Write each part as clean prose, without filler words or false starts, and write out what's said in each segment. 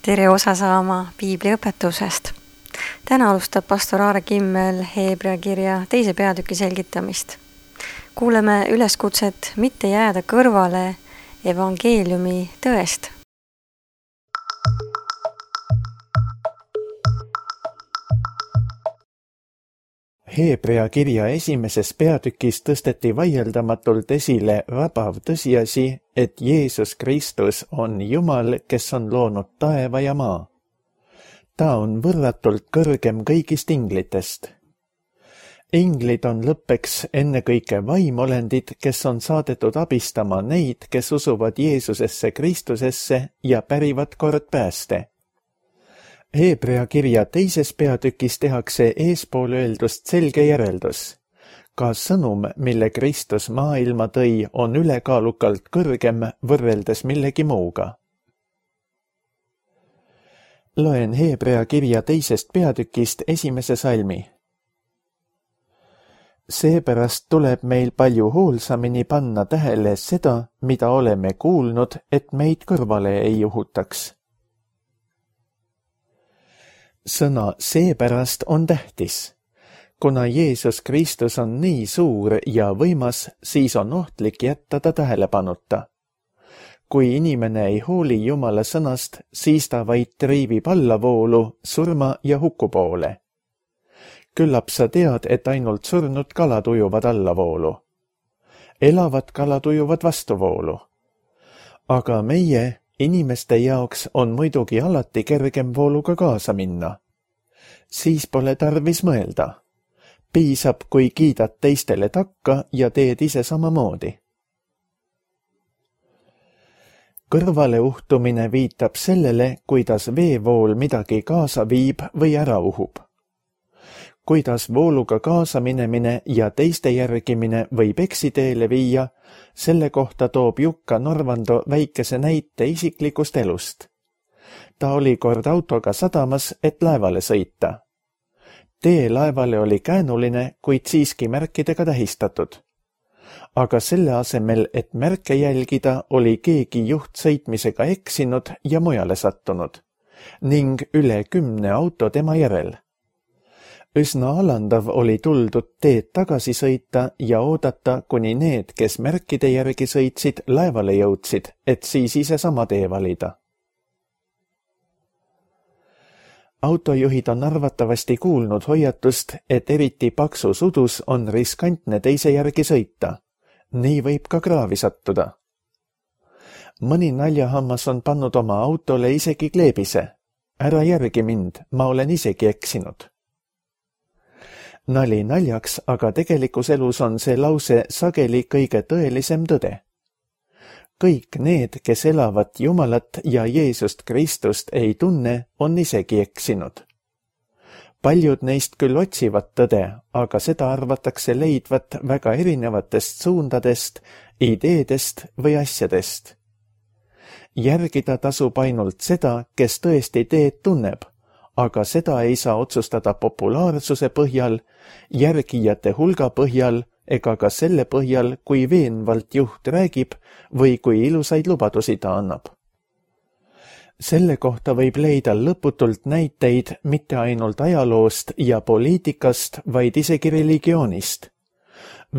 Tere osa saama piibliõpetusest. Täna alustab pastor Aare Kimmel Hebra kirja 2. peatüki selgitamist. Kuuleme üleskutset mitte jääda kõrvale evangeeliumi tõest. Hebra kirja 1. peatükis tõsteti vaieldamatult esile rabav tõsiasi, et Jeesus Kristus on Jumal, kes on loonud taeva ja maa. Ta on võrratult kõrgem kõigist inglitest. Inglid on lõppeks ennekõike vaimolendid, kes on saadetud abistama neid, kes usuvad Jeesusesse Kristusesse ja pärivad kord pääste. Hebra kirja 2. peatükis tehakse eespool öeldust selge järeldus. Ka sõnum, mille Kristus maailma tõi, on ülekaalukalt kõrgem võrreldes millegi muuga. Loen Hebra kirja 2. peatükist 1. salmi. Seepärast tuleb meil palju hoolsamini panna tähele seda, mida oleme kuulnud, et meid kõrvale ei juhutaks. Sõna seepärast on tähtis. Kuna Jeesus Kristus on nii suur ja võimas, siis on ohtlik jätta ta tähelepanuta. Kui inimene ei hooli Jumala sõnast, siis ta vaid triivib allavoolu, surma ja huku poole. Küllap sa tead, et ainult surnud kalad ujuvad allavoolu. Elavad kalad ujuvad vastuvoolu. Aga meie, inimeste jaoks on muidugi alati kergem vooluga kaasa minna. Siis pole tarvis mõelda. Piisab, kui kiidad teistele takka ja teed ise samamoodi. Kõrvale uhtumine viitab sellele, kuidas veevool midagi kaasa viib või ära uhub. Kuidas vooluga kaasa minemine ja teiste järgimine võib eksiteele viia, selle kohta toob Jukka Norvando väikese näite isiklikust elust. Ta oli kord autoga sadamas, et laevale sõita. Tee laevale oli käänuline, kuid siiski märkidega tähistatud. Aga selle asemel, et märke jälgida, oli keegi juht sõitmisega eksinud ja mujale sattunud, ning üle 10 auto tema järel. Üsna alandav oli tuldud teed tagasi sõita ja oodata, kuni need, kes märkide järgi sõitsid, laevale jõudsid, et siis ise sama tee valida. Autojuhid on arvatavasti kuulnud hoiatust, et eriti paksus udus on riskantne teise järgi sõita. Nii võib ka kraavi sattuda. Mõni naljahammas on pannud oma autole isegi kleebise. Ära järgi mind, ma olen isegi eksinud. Nali naljaks, aga tegelikus elus on see lause sageli kõige tõelisem tõde. Kõik need, kes elavad Jumalat ja Jeesust Kristust ei tunne, on isegi eksinud. Paljud neist küll otsivad tõde, aga seda arvatakse leidvat väga erinevatest suundadest, ideedest või asjadest. Järgida tasub ainult seda, kes tõesti teed tunneb, aga seda ei saa otsustada populaarsuse põhjal, järgijate hulga põhjal ega ka selle põhjal, kui veenvalt juht räägib või kui ilusaid lubadusi ta annab. Selle kohta võib leida lõputult näiteid mitte ainult ajaloost ja poliitikast, vaid isegi religioonist.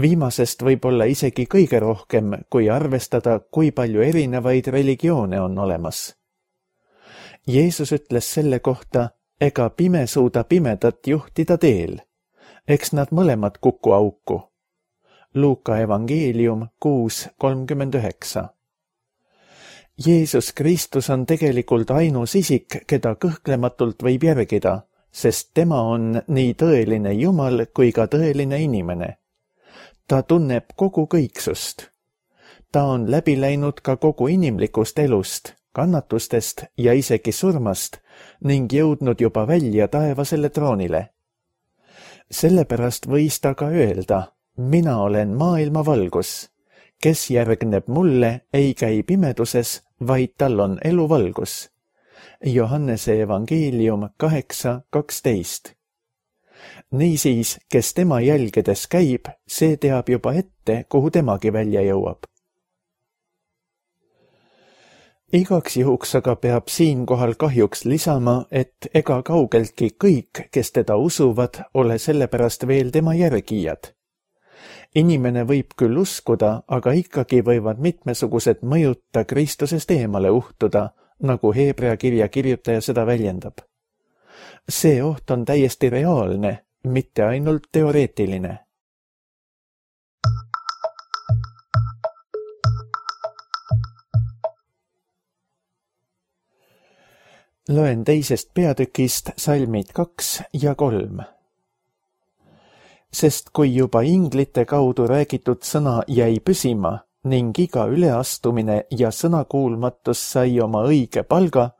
Viimasest võib olla isegi kõige rohkem, kui arvestada, kui palju erinevaid religioone on olemas. Jeesus ütles selle kohta, ega pime suuda pimedat juhtida teel. Eks nad mõlemad kuku auku. Luuka evangeelium 6:39. Jeesus Kristus on tegelikult ainus isik, keda kõhklematult võib järgida, sest tema on nii tõeline Jumal kui ka tõeline inimene. Ta tunneb kogu kõiksust. Ta on läbi läinud ka kogu inimlikust elust, kannatustest ja isegi surmast ning jõudnud juba välja taevasele troonile. Sellepärast võis ta ka öelda, mina olen maailma valgus. Kes järgneb mulle, ei käi pimeduses, vaid tal on eluvalgus. Johannese evangeelium 8:12. Niisiis, kes tema jälgedes käib, see teab juba ette, kuhu temagi välja jõuab. Igaks juhuks aga peab siinkohal kahjuks lisama, et ega kaugeltki kõik, kes teda usuvad, ole sellepärast veel tema järgijad. Inimene võib küll uskuda, aga ikkagi võivad mitmesugused mõjud ta Kristusest eemale uhtuda, nagu Heebrea kirja kirjutaja seda väljendab. See oht on täiesti reaalne, mitte ainult teoreetiline. Loen teisest peatükist salmid 2 ja 3. Sest kui juba inglite kaudu räägitud sõna jäi püsima ning iga üleastumine ja sõnakuulmatus sai oma õige palga,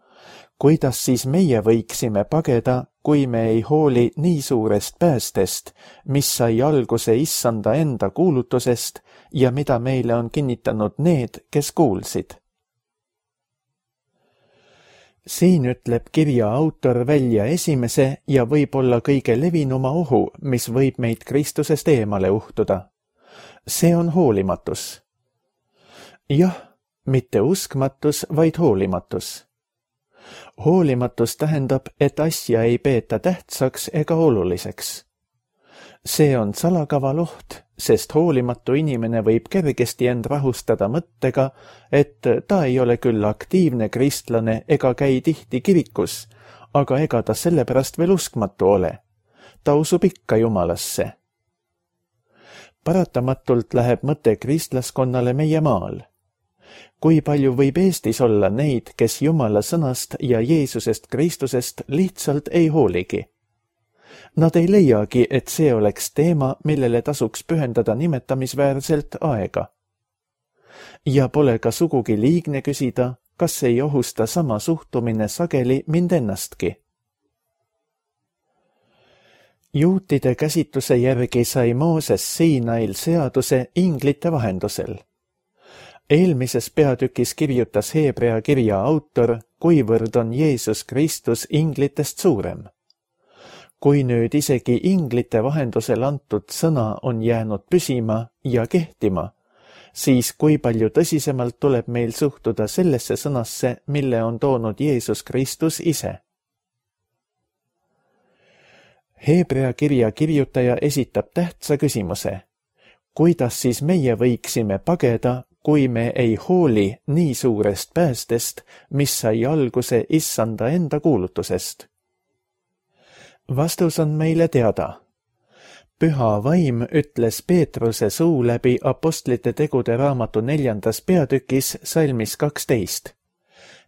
kuidas siis meie võiksime pageda, kui me ei hooli nii suurest päästest, mis sai alguse issanda enda kuulutusest ja mida meile on kinnitanud need, kes kuulsid. Siin ütleb kirja autor välja esimese ja võib-olla kõige levinuma ohu, mis võib meid Kristusest eemale uhtuda. See on hoolimatus. Jah, mitte uskmatus, vaid hoolimatus. Hoolimatus tähendab, et asja ei peeta tähtsaks ega oluliseks. See on salakaval oht, sest hoolimatu inimene võib kergesti end rahustada mõttega, et ta ei ole küll aktiivne kristlane ega käi tihti kirikus, aga ega ta sellepärast veel uskmatu ole. Ta usub ikka Jumalasse. Paratamatult läheb mõte kristlaskonnale meie maal. Kui palju võib Eestis olla neid, kes Jumala sõnast ja Jeesusest Kristusest lihtsalt ei hooligi? Nad ei leiagi, et see oleks teema, millele tasuks pühendada nimetamisväärselt aega. Ja pole ka sugugi liigne küsida, kas ei ohusta sama suhtumine sageli mind ennastki. Juutide käsitluse järgi sai Mooses Siinail seaduse inglite vahendusel. Eelmises peatükis kirjutas Heebrea kirja autor, kuivõrd on Jeesus Kristus inglitest suurem. Kui nüüd isegi inglite vahendusel antud sõna on jäänud püsima ja kehtima, siis kui palju tõsisemalt tuleb meil suhtuda sellesse sõnasse, mille on toonud Jeesus Kristus ise. Heebrea kirja kirjutaja esitab tähtsa küsimuse. Kuidas siis meie võiksime pageda, kui me ei hooli nii suurest päästest, mis sai alguse issanda enda kuulutusest? Vastus on meile teada. Püha vaim ütles Peetruse suu läbi apostlite tegude raamatu 4. peatükis salmis 12.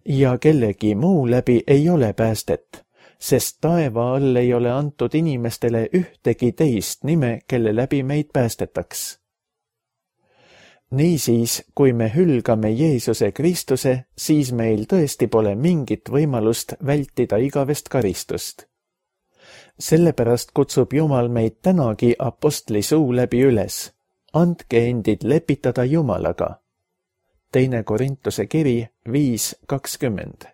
Ja kellegi muu läbi ei ole päästet, sest taeva all ei ole antud inimestele ühtegi teist nime, kelle läbi meid päästetaks. Niisiis, kui me hülgame Jeesuse Kristuse, siis meil tõesti pole mingit võimalust vältida igavest karistust. Sellepärast kutsub Jumal meid tänagi apostli suu läbi üles. Andke endid lepitada Jumalaga. 2. Korintuse kiri 5:20.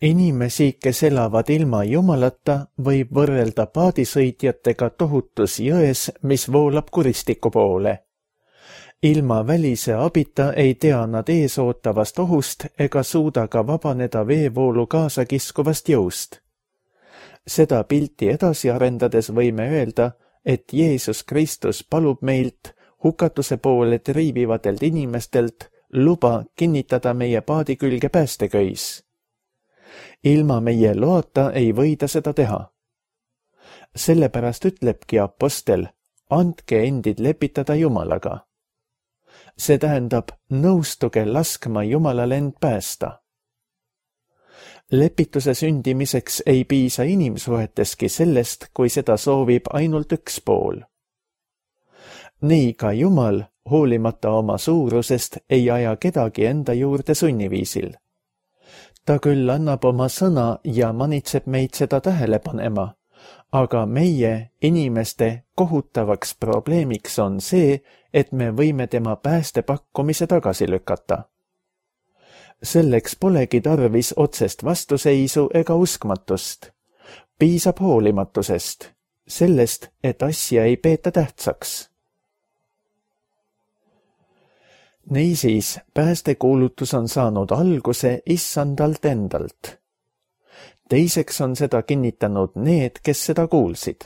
Inimesi, kes elavad ilma Jumalata, võib võrrelda paadisõitjatega tohutus jões, mis voolab kuristiku poole. Ilma välise abita ei tea nad eesootavast ohust ega suuda ka vabaneda veevoolu kaasa kiskuvast jõust. Seda pilti edasi arendades võime öelda, et Jeesus Kristus palub meilt, hukatuse poole triibivatelt inimestelt, luba kinnitada meie paadi külge päästeköis. Ilma meie loata ei või ta seda teha. Sellepärast ütlebki apostel, andke endid lepitada Jumalaga. See tähendab, nõustuge laskma Jumalal end päästa. Lepituse sündimiseks ei piisa inimsuheteski sellest, kui seda soovib ainult üks pool. Nii ka Jumal, hoolimata oma suurusest, ei aja kedagi enda juurde sunniviisil. Ta küll annab oma sõna ja manitseb meid seda tähele panema, aga meie, inimeste, kohutavaks probleemiks on see, et me võime tema päästepakkumise tagasi lükata. Selleks polegi tarvis otsest vastuseisu ega uskmatust. Piisab hoolimatusest. sellest, et asja ei peeta tähtsaks. Niisiis, päästekuulutus on saanud alguse issandalt endalt. Teiseks on seda kinnitanud need, kes seda kuulsid.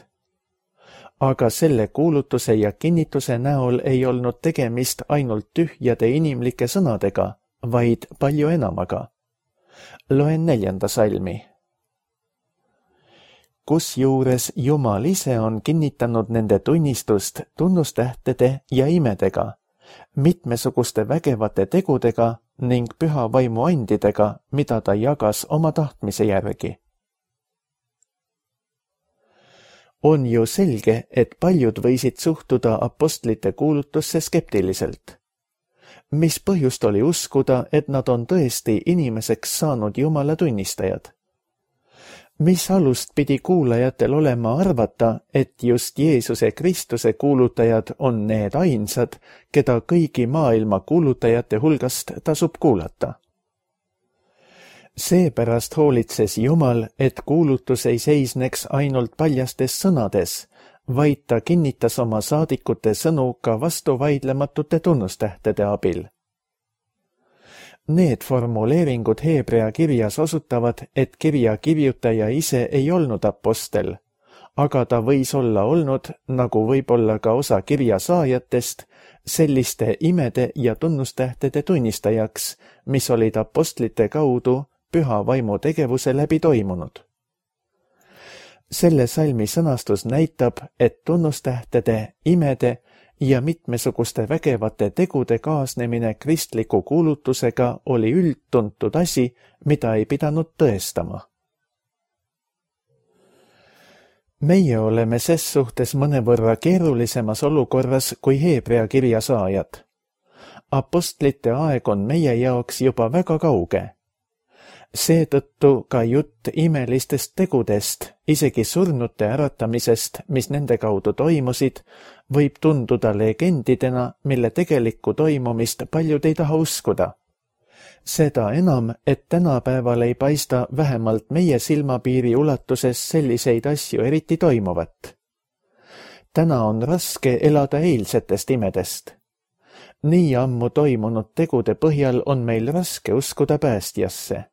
Aga selle kuulutuse ja kinnituse näol ei olnud tegemist ainult tühjade inimlike sõnadega, vaid palju enamaga. Loen 4. salmi. Kusjuures Jumal ise on kinnitanud nende tunnistust tunnustähtede ja imedega, mitmesuguste vägevate tegudega ning püha vaimu andidega, mida ta jagas oma tahtmise järgi. On ju selge, et paljud võisid suhtuda apostlite kuulutusse skeptiliselt. Mis põhjust oli uskuda, et nad on tõesti inimeseks saanud Jumala tunnistajad? Mis alust pidi kuulajatel olema arvata, et just Jeesuse Kristuse kuulutajad on need ainsad, keda kõigi maailma kuulutajate hulgast tasub kuulata? Seepärast hoolitses Jumal, et kuulutus ei seisneks ainult paljastes sõnades, vaid ta kinnitas oma saadikute sõnu ka vastuvaidlematute tunnustähtede abil. Need formuleeringud Heebrea kirjas osutavad, et kirja kirjutaja ise ei olnud apostel, aga ta võis olla olnud, nagu võib olla ka osa kirja saajatest, selliste imede ja tunnustähtede tunnistajaks, mis olid apostlite kaudu püha vaimu tegevuse läbi toimunud. Selle salmi sõnastus näitab, et tunnustähtede, imede ja mitmesuguste vägevate tegude kaasnemine kristliku kuulutusega oli üldtuntud asi, mida ei pidanud tõestama. Meie oleme ses suhtes mõnevõrra keerulisemas olukorras kui Heebrea kirja saajad. Apostlite aeg on meie jaoks juba väga kauge. Seetõttu ka jutt imelistest tegudest, isegi surnute äratamisest, mis nende kaudu toimusid, võib tunduda legendidena, mille tegelikku toimumist paljud ei taha uskuda. Seda enam, et tänapäeval ei paista vähemalt meie silmapiiri ulatuses selliseid asju eriti toimuvat. Täna on raske elada eilsetest imedest. Nii ammu toimunud tegude põhjal on meil raske uskuda päästjasse.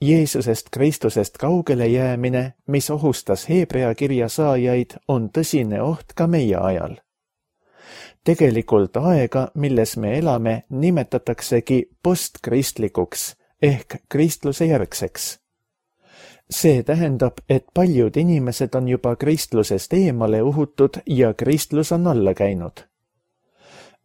Jeesusest Kristusest kaugele jäämine, mis ohustas Heebrea kirja saajaid, on tõsine oht ka meie ajal. Tegelikult aega, milles me elame, nimetataksegi postkristlikuks ehk kristluse järgseks. See tähendab, et paljud inimesed on juba kristlusest eemale uhutud ja kristlus on alla käinud.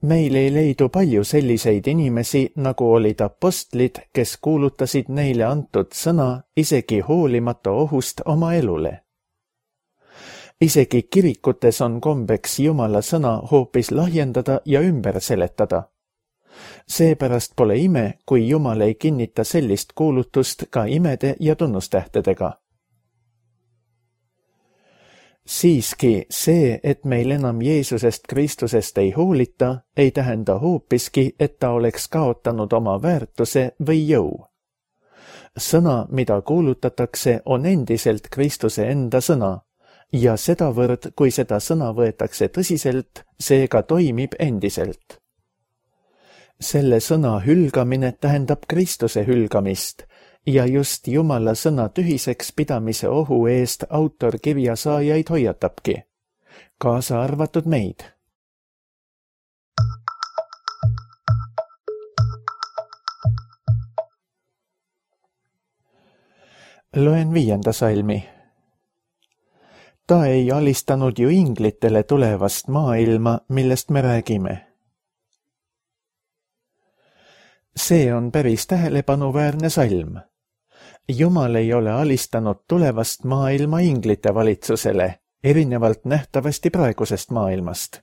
Meil ei leidu palju selliseid inimesi, nagu olid apostlid, kes kuulutasid neile antud sõna isegi hoolimata ohust oma elule. Isegi kirikutes on kombeks Jumala sõna hoopis lahjendada ja ümber seletada. Seepärast pole ime, kui Jumal ei kinnita sellist kuulutust ka imede ja tunnustähtedega. Siiski see, et meil enam Jeesusest Kristusest ei hoolita, ei tähenda hoopiski, et ta oleks kaotanud oma väärtuse või jõu. Sõna, mida kuulutatakse, on endiselt Kristuse enda sõna ja sedavõrd, kui seda sõna võetakse tõsiselt, see ka toimib endiselt. Selle sõna hülgamine tähendab Kristuse hülgamist, ja just Jumala sõna tühiseks pidamise ohu eest autor kirja saajaid hoiatabki, kaasa arvatud meid. Loen 5. salmi. Ta ei alistanud ju inglitele tulevast maailma, millest me räägime. See on päris tähelepanuväärne salm. Jumal ei ole alistanud tulevast maailma inglite valitsusele, erinevalt nähtavasti praegusest maailmast.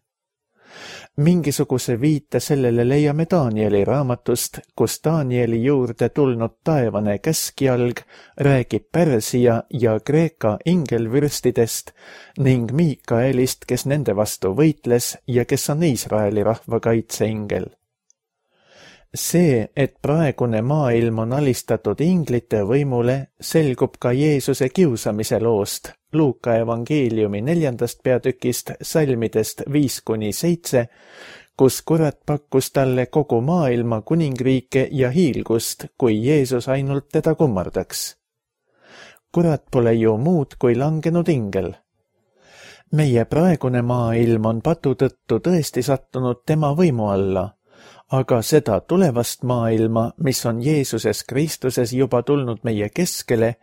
Mingisuguse viite sellele leiame Danieli raamatust, kus Danieli juurde tulnud taevane käskjalg räägib Pärsia ja Kreeka ingelvürstidest ning Miikaelist, kes nende vastu võitles ja kes on Iisraeli rahva kaitseingel. See, et praegune maailm on alistatud inglite võimule, selgub ka Jeesuse kiusamise loost, Luuka evangeeliumi 4. peatükist salmidest 5-7, kus kurat pakkus talle kogu maailma kuningriike ja hiilgust, kui Jeesus ainult teda kummardaks. Kurat pole ju muud kui langenud ingel. Meie praegune maailm on patu tõttu tõesti sattunud tema võimu alla, aga seda tulevast maailma, mis on Jeesuses Kristuses juba tulnud meie keskele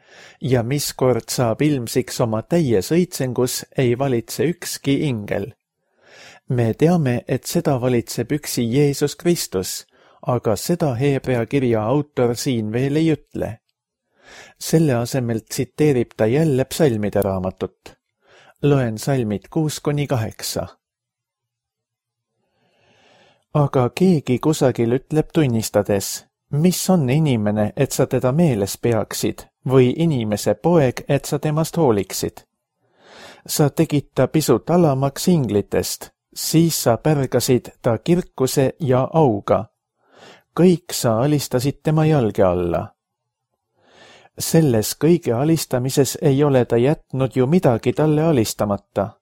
ja mis kord saab ilmsiks oma täies õitsengus, ei valitse ükski ingel. Me teame, et seda valitseb üksi Jeesus Kristus, aga seda Heebrea kirja autor siin veel ei ütle. Selle asemel tsiteerib ta jälle psalmide raamatut. Loen salmid 6-8. Aga keegi kusagil ütleb tunnistades, mis on inimene, et sa teda meeles peaksid, või inimese poeg, et sa temast hooliksid. Sa tegid ta pisut alamaks inglitest, siis sa pärgasid ta kirkuse ja auga. Kõik sa alistasid tema jalge alla. Selles kõige alistamises ei ole ta jätnud ju midagi talle alistamata.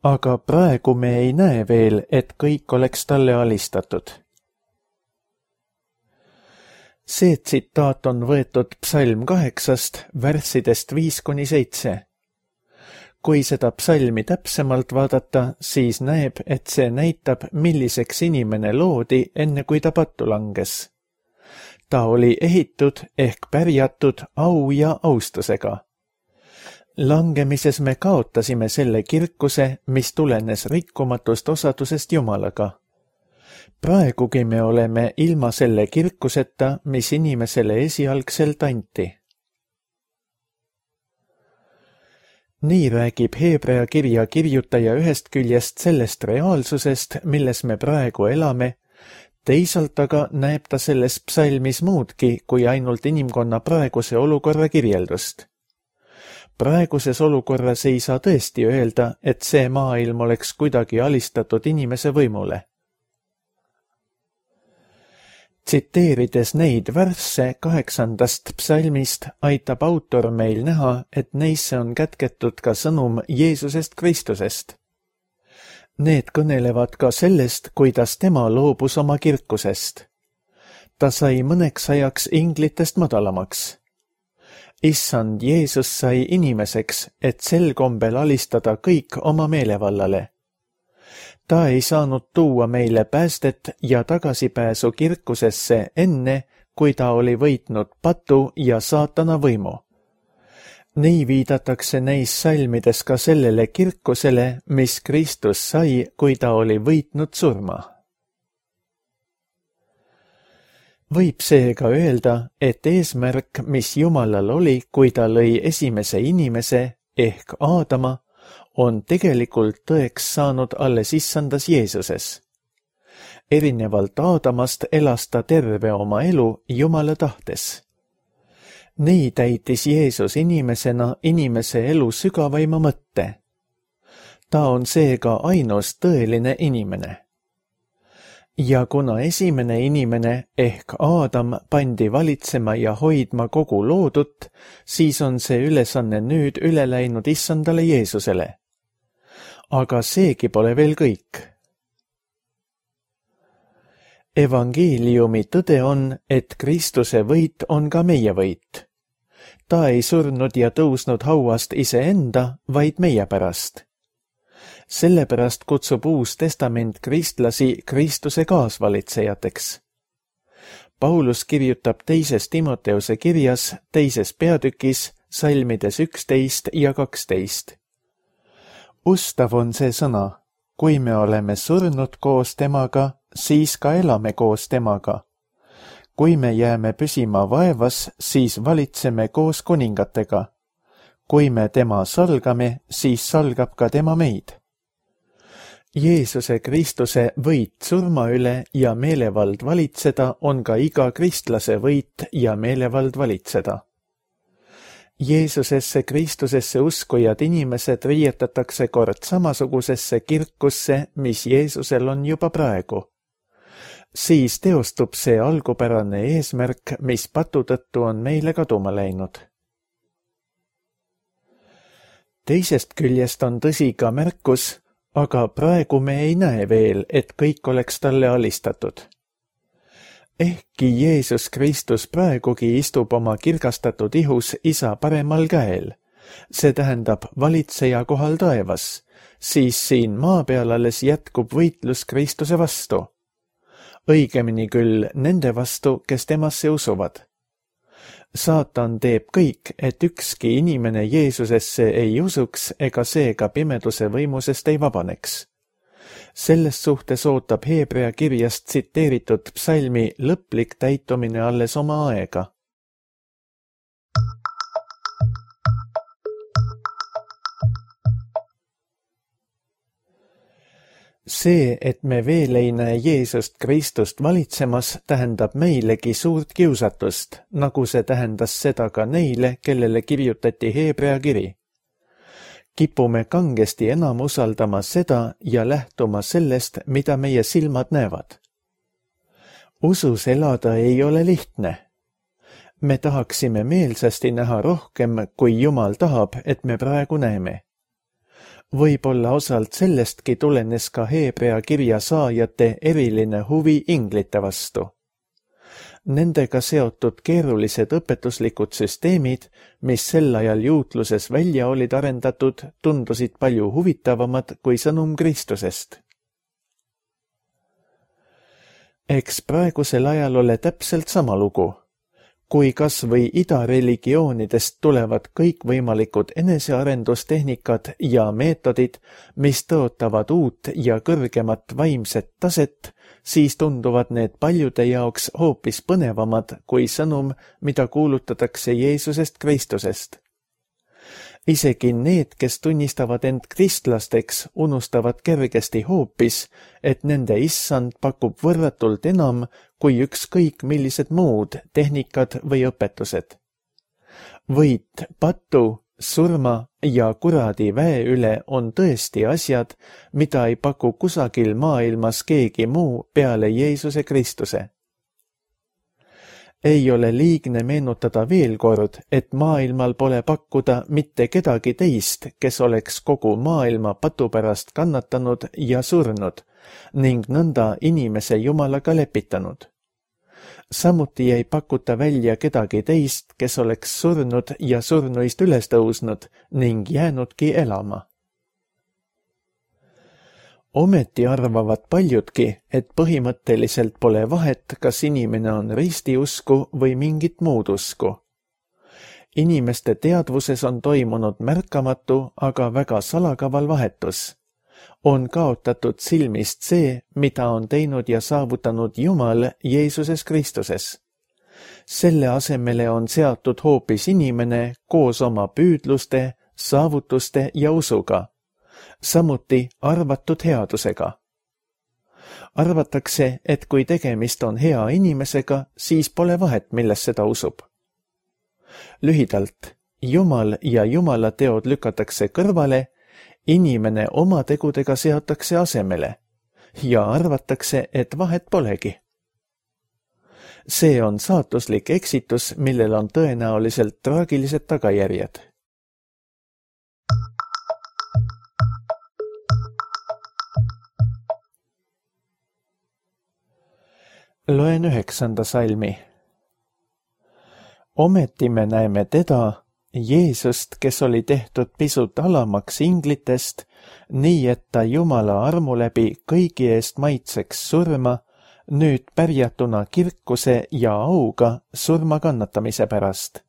Aga praegu me ei näe veel, et kõik oleks talle alistatud. See tsitaat on võetud psalm 8 värssidest 5-7. Kui seda psalmi täpsemalt vaadata, siis näeb, et see näitab, milliseks inimene loodi enne kui ta pattu langes. Ta oli ehitud ehk pärjatud au ja austusega. Langemises me kaotasime selle kirkuse, mis tulenes rikkumatust osadusest Jumalaga. Praegugi me oleme ilma selle kirkuseta, mis inimesele esialgselt anti. Nii räägib Heebrea kirja kirjutaja ühest küljest sellest reaalsusest, milles me praegu elame, teisalt aga näeb ta selles psalmis muudki kui ainult inimkonna praeguse olukorra kirjeldust. Praeguses olukorras ei saa tõesti öelda, et see maailm oleks kuidagi alistatud inimese võimule. Tsiteerides neid värsse 8. psalmist, aitab autor meil näha, et neisse on kätketud ka sõnum Jeesusest Kristusest. Need kõnelevad ka sellest, kuidas tema loobus oma kirkusest. Ta sai mõneks ajaks inglitest madalamaks. Issand Jeesus sai inimeseks, et sel kombel alistada kõik oma meelevallale. Ta ei saanud tuua meile päästet ja tagasipääsu kirkusesse enne, kui ta oli võitnud patu ja saatana võimu. Nii viidatakse neis salmides ka sellele kirkusele, mis Kristus sai, kui ta oli võitnud surma. Võib seega öelda, et eesmärk, mis Jumalal oli, kui ta lõi esimese inimese ehk Aadama, on tegelikult tõeks saanud alles issandas Jeesuses. Erinevalt Aadamast elas ta terve oma elu Jumala tahtes. Nii täitis Jeesus inimesena inimese elu sügavaima mõtte. Ta on seega ainus tõeline inimene. Ja kuna esimene inimene ehk Aadam pandi valitsema ja hoidma kogu loodut, siis on see ülesanne nüüd üle läinud issandale Jeesusele. Aga seegi pole veel kõik. Evangeeliumi tõde on, et Kristuse võit on ka meie võit. Ta ei surnud ja tõusnud hauast iseenda, vaid meie pärast. Sellepärast kutsub Uus Testament kristlasi Kristuse kaasvalitsejateks. Paulus kirjutab 2. Timoteuse kirjas 2. peatükis salmides 11 ja 12. Ustav on see sõna, kui me oleme surnud koos temaga, siis ka elame koos temaga. Kui me jääme püsima vaevas, siis valitseme koos kuningatega. Kui me tema salgame, siis salgab ka tema meid. Jeesuse Kristuse võit surma üle ja meelevald valitseda on ka iga kristlase võit ja meelevald valitseda. Jeesusesse Kristusesse uskujad inimesed riietatakse kord samasugusesse kirkusse, mis Jeesusel on juba praegu. Siis teostub see algupärane eesmärk, mis patu tõttu on meile kaduma läinud. Teisest küljest on tõsi ka märkus, aga praegu me ei näe veel, et kõik oleks talle alistatud. Ehkki Jeesus Kristus praegugi istub oma kirgastatud ihus Isa paremal käel, see tähendab valitseja kohal taevas, siis siin maa peal alles jätkub võitlus Kristuse vastu. Õigemini küll nende vastu, kes temasse usuvad. Saatan teeb kõik, et ükski inimene Jeesusesse ei usuks ega seega pimeduse võimusest ei vabaneks. Selles suhtes ootab Heebrea kirjast tsiteeritud psalmi lõplik täitumine alles oma aega. See, et me veel ei näe Jeesust Kristust valitsemas, tähendab meilegi suurt kiusatust, nagu see tähendas seda ka neile, kellele kirjutati Heebrea kiri. Kipume kangesti enam usaldama seda ja lähtuma sellest, mida meie silmad näevad. Usus elada ei ole lihtne. Me tahaksime meelsasti näha rohkem, kui Jumal tahab, et me praegu näeme. Võib-olla osalt sellestki tulenes ka Heebrea kirja saajate eriline huvi inglite vastu. Nendega seotud keerulised õpetuslikud süsteemid, mis sel ajal juutluses välja olid arendatud, tundusid palju huvitavamad kui sõnum Kristusest. Eks praegusel ajal ole täpselt sama lugu. Kui kas või idareligioonidest tulevad kõikvõimalikud enesearendustehnikad ja meetodid, mis tõotavad uut ja kõrgemat vaimset taset, siis tunduvad need paljude jaoks hoopis põnevamad kui sõnum, mida kuulutatakse Jeesusest Kristusest. Isegi need, kes tunnistavad end kristlasteks, unustavad kergesti hoopis, et nende issand pakub võrratult enam kui ükskõik millised muud tehnikad või õpetused. Võit, patu, surma ja kuradi väe üle on tõesti asjad, mida ei paku kusagil maailmas keegi muu peale Jeesuse Kristuse. Ei ole liigne meenutada veel kord, et maailmal pole pakkuda mitte kedagi teist, kes oleks kogu maailma patu pärast kannatanud ja surnud ning nõnda inimese Jumalaga lepitanud. Samuti ei pakuta välja kedagi teist, kes oleks surnud ja surnuist üles tõusnud ning jäänudki elama. Ometi arvavad paljudki, et põhimõtteliselt pole vahet, kas inimene on ristiusku või mingit muud usku. Inimeste teadvuses on toimunud märkamatu, aga väga salakaval vahetus. On kaotatud silmist see, mida on teinud ja saavutanud Jumal Jeesuses Kristuses. Selle asemele on seatud hoopis inimene koos oma püüdluste, saavutuste ja usuga. Samuti arvatud headusega. Arvatakse, et kui tegemist on hea inimesega, siis pole vahet, milles seda usub. Lühidalt, Jumal ja Jumala teod lükatakse kõrvale, inimene oma tegudega seatakse asemele ja arvatakse, et vahet polegi. See on saatuslik eksitus, millel on tõenäoliselt traagilised tagajärjed. Loen 9. salmi. Ometi me näeme teda, Jeesust, kes oli tehtud pisut alamaks inglitest, nii et ta Jumala armu läbi kõigi eest maitseks surma, nüüd pärjatuna kirkuse ja auga surma kannatamise pärast.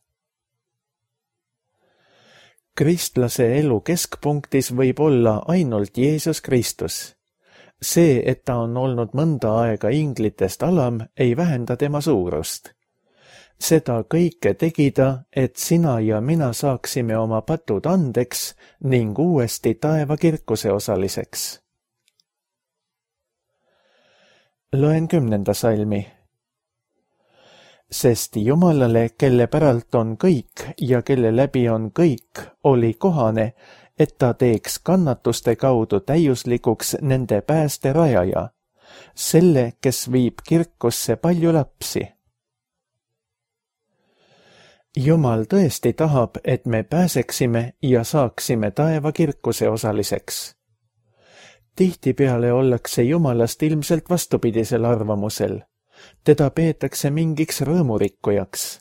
Kristlase elu keskpunktis võib olla ainult Jeesus Kristus. See, et ta on olnud mõnda aega inglitest alam, ei vähenda tema suurust. Seda kõike tegi ta, et sina ja mina saaksime oma patud andeks ning uuesti taeva kirkuse osaliseks. Loen 10. salmi. Sest Jumalale, kelle päralt on kõik ja kelle läbi on kõik, oli kohane, et ta teeks kannatuste kaudu täiuslikuks nende pääste rajaja, selle, kes viib kirkusse palju lapsi. Jumal tõesti tahab, et me pääseksime ja saaksime taeva kirkuse osaliseks. Tihtipeale ollakse Jumalast ilmselt vastupidisel arvamusel. Teda peetakse mingiks rõõmurikkujaks.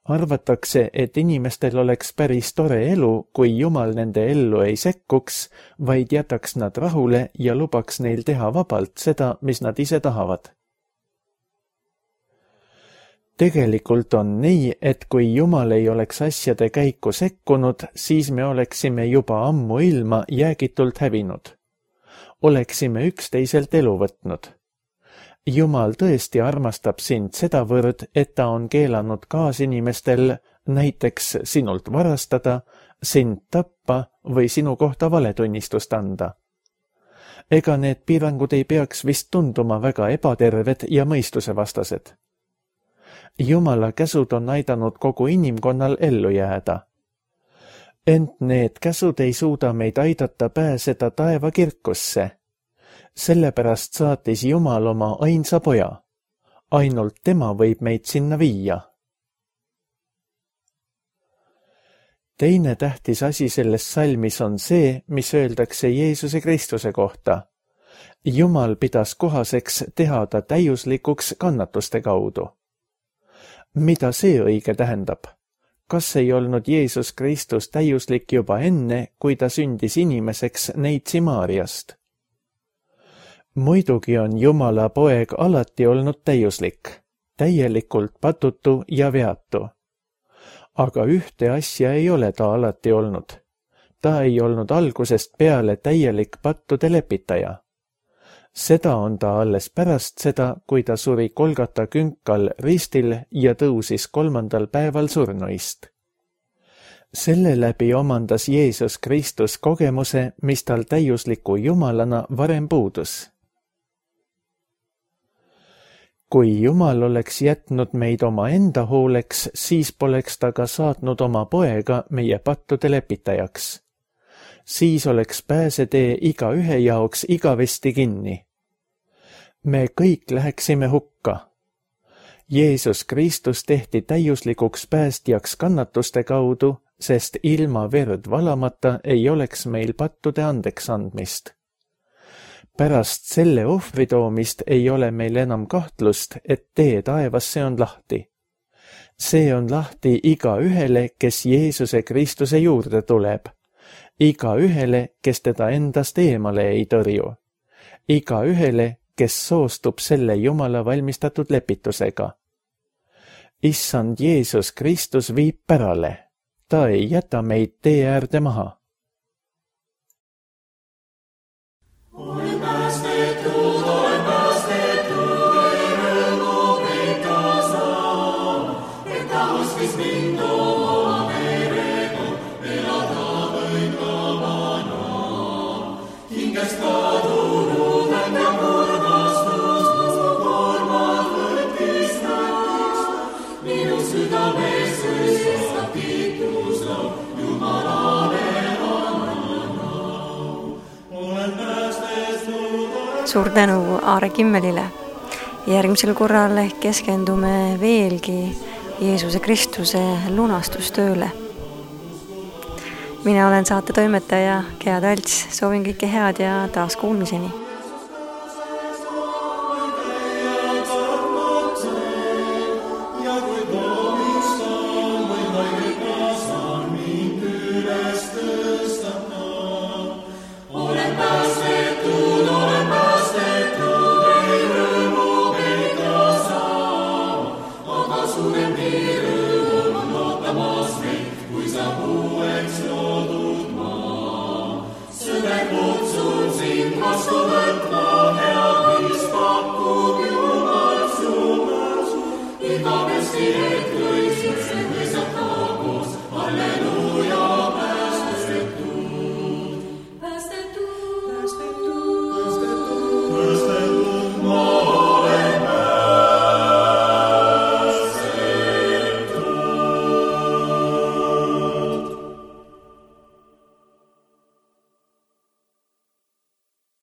Arvatakse, et inimestel oleks päris tore elu, kui Jumal nende ellu ei sekkuks, vaid jätaks nad rahule ja lubaks neil teha vabalt seda, mis nad ise tahavad. Tegelikult on nii, et kui Jumal ei oleks asjade käiku sekkunud, siis me oleksime juba ammu ilma jäägitult hävinud. Oleksime üksteiselt elu võtnud. Jumal tõesti armastab sind sedavõrd, et ta on keelanud kaasinimestel näiteks sinult varastada, sind tappa või sinu kohta valetunnistust anda. Ega need piirangud ei peaks vist tunduma väga ebaterved ja mõistusevastased. Jumala käsud on aidanud kogu inimkonnal ellu jääda. Ent need käsud ei suuda meid aidata pääseda taeva kirkusse. Sellepärast saatis Jumal oma ainsa poja. Ainult tema võib meid sinna viia. Teine tähtis asi selles salmis on see, mis öeldakse Jeesuse Kristuse kohta. Jumal pidas kohaseks teha ta täiuslikuks kannatuste kaudu. Mida see õige tähendab? Kas ei olnud Jeesus Kristus täiuslik juba enne, kui ta sündis inimeseks neitsi Maariast? Muidugi on Jumala poeg alati olnud täiuslik, täielikult patutu ja veatu. Aga ühte asja ei ole ta alati olnud. Ta ei olnud algusest peale täielik pattude lepitaja. Seda on ta alles pärast seda, kui ta suri Golgata künkal ristil ja tõusis 3. päeval surnuist. Selle läbi omandas Jeesus Kristus kogemuse, mis tal täiusliku Jumalana varem puudus. Kui Jumal oleks jätnud meid oma enda hooleks, siis poleks ta ka saatnud oma poega meie pattude lepitajaks. Siis oleks pääsetee igaühe jaoks igavesti kinni. Me kõik läheksime hukka. Jeesus Kristus tehti täiuslikuks päästjaks kannatuste kaudu, sest ilma verd valamata ei oleks meil pattude andeks andmist. Pärast selle ohvri toomist ei ole meil enam kahtlust, et tee taevasse on lahti. See on lahti igaühele, kes Jeesuse Kristuse juurde tuleb. Igaühele, kes teda endast eemale ei tõrju. Igaühele, kes soostub selle Jumala valmistatud lepitusega. Issand Jeesus Kristus viib pärale. Ta ei jäta meid tee äärde maha. Suur tänu Aare Kimmelile. Järgmisel korral keskendume veelgi Jeesuse Kristuse lunastustööle. Mina olen saate toimetaja Gea Talts, soovin kõike head ja taas kuulmiseni.